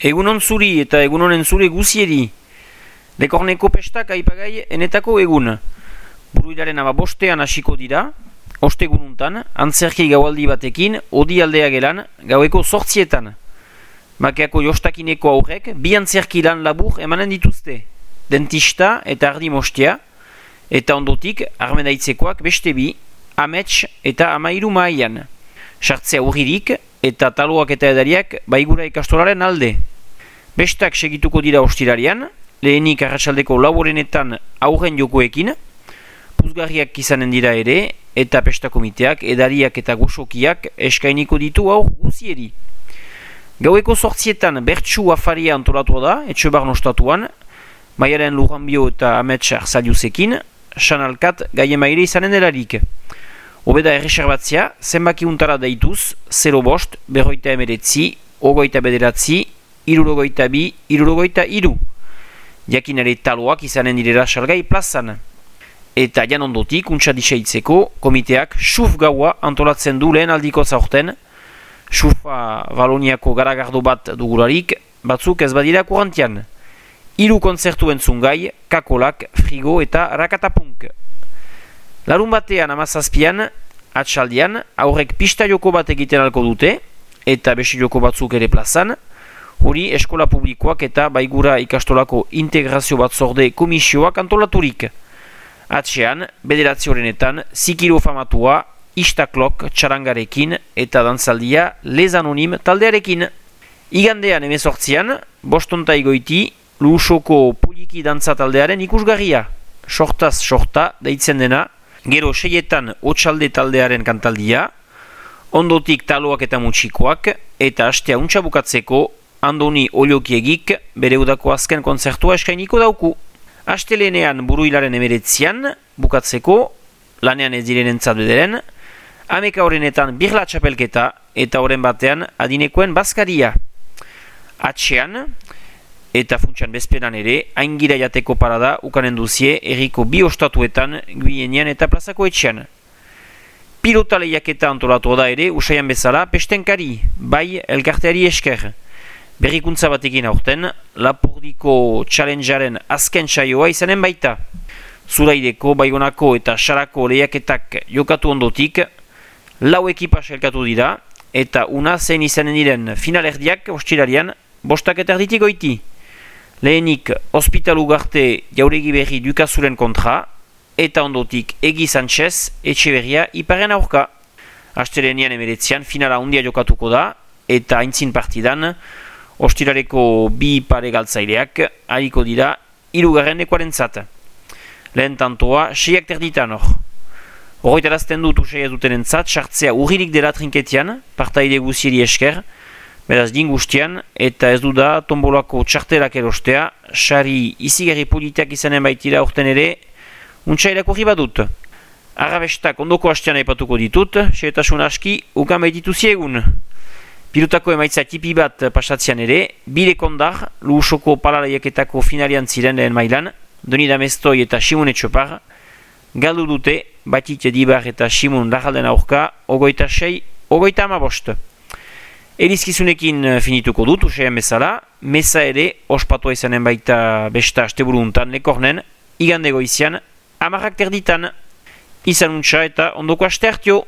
Egunon zuri eta egunonen zure guzieri. Lekorneko pestak aipagai enetako egun. Buruilaren bostean hasiko dira, ostegununtan, antzerki gaualdi batekin, odi aldea gelan, gaueko 8etan. Makeako jostakineko aurrek, bi antzerki lan labur emanen dituzte. Dentista eta ardi mostia, eta ondotik, armenaitzekoak beste bi, amets eta amairu maian. Sartzea urririk eta taloak eta edariak baigura ikastolaren alde. Bestak segituko dira ostirarian, lehenik arratsaldeko laborenetan aurren jokoekin, puzgarriak izanen dira ere, eta pestakomiteak, edariak eta goxokiak eskainiko ditu aur guzieri. Gaueko 8etan bertsu afaria antolatua da, Etxebar nostatuan, Maialen Lujanbio eta Amets Arzaliusekin, Sanalkat gaiemaire izanen delarik. Obeda erreserbatzea, zenbaki untara deituz, 0 bost, berroita emeretzi, ogoita bederatzi, irurogoita bi, irurogoita iru. Jakinare taloak izanen direla salgai plazan. Eta jan ondotik, untsa diseitzeko, komiteak xuf gaua antolatzen du lehen aldiko zaurten. Xufa Valoniako garagardo bat dugularik, batzuk ez badira kurantian. 3 kontzertu entzungai, kakolak, frigo eta rakatapunk. Larun batean 17an, atxaldian, aurrek pista joko bat egiten alko dute, eta besi joko batzuk ere plazan, hori eskola publikoak eta baigura ikastolako integrazio batzorde komisioak antolaturik. Atxean, bederatzi horrenetan, zikiro famatua, istaklok txarangarekin eta dantzaldia Les Anonim taldearekin. Igandean 18an, bostonta igoiti, Luusoko Poliki dantza taldearen ikusgarria. Sortaz sorta deitzen dena, gero 6etan Otsalde taldearen kantaldia, ondotik taloak eta mutxikoak, eta hastea untsa bukatzeko Andoni Oliokiegik bere udako azken kontzertua eskainiko dauku. Astelenean Buruilaren 19an bukatzeko, lanean ez direnentzat bederen, ameka horrenetan birla txapelketa eta horren batean adinekoen bazkaria. Atxean, eta funtsan bezperan ere, aingira jateko parada ukanen duzie erriko bi ostatuetan Guienean eta plazako etxean. Pilota lehiaketa antolatu da ere, usaian bezala, pestenkari, bai elkarteari esker. Berrikuntza batekin aurten, Lapurdiko Challengearen azken saioa izanen baita. Zuraideko, Baigonako eta Sarako lehiaketak jokatu ondotik, 4 ekipa elkatu dira, eta una zein izanen diren finalerdiak ostirarian, 5 eta erditik goiti. Lehenik, Hospitalu Garte Jauregi Berri Dukazuren kontra, eta ondotik Egi Sanchez Etxeberria Iparen aurka. Astelenean 19an finala handia jokatuko da, eta aintzin partidan, ostirareko bi pare galtzaileak hariko dira 3. Lehen tantoa 6 terditan hor. Horretarazten dut usai ez dutenentzat, sartzea urririk dela trinketian, partaide guzieri esker, beraz dingustian, eta ez du da tombolako txartelak erostea, sari izigarri politiak izanen baitira orten ere, untsailako badut. Arrabestak ondoko hastean aipatuko ditut, xeretasun aski, ukan baititu ziegun. Pilotako emaitza tipi bat pasatzean ere, bire kondar, Luusoko palalaiaketako finalian ziren lehen mailan, Doni Damestoi eta Simon Etxopar, galdu dute, Batit Edibar eta Simon Larralden aurka, 26, 35. Elizkizunekin finituko dut, usean bezala, meza ere, ospatua izanen baita besta asteburu untan lekornen, igande goizian, 10 terditan, izan untsa eta ondoko aste hartio.